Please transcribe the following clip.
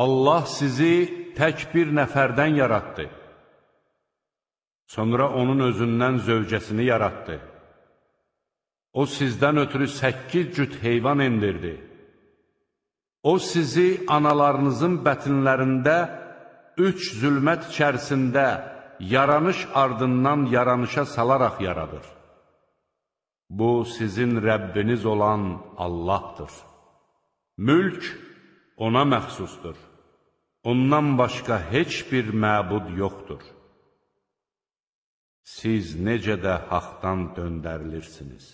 Allah sizi tək bir nəfərdən yaratdı. Sonra onun özündən zövcəsini yaratdı. O sizdən ötürü 8 cüt heyvan endirdi. O sizi analarınızın bətinlərində 3 zülmət içərisində yaranış ardından yaranışa salaraq yaradır. Bu, sizin Rəbbiniz olan Allahdır. Mülk ona məxsusdur. Ondan başqa heç bir məbud yoxdur. Siz necə də haqdan döndərilirsiniz.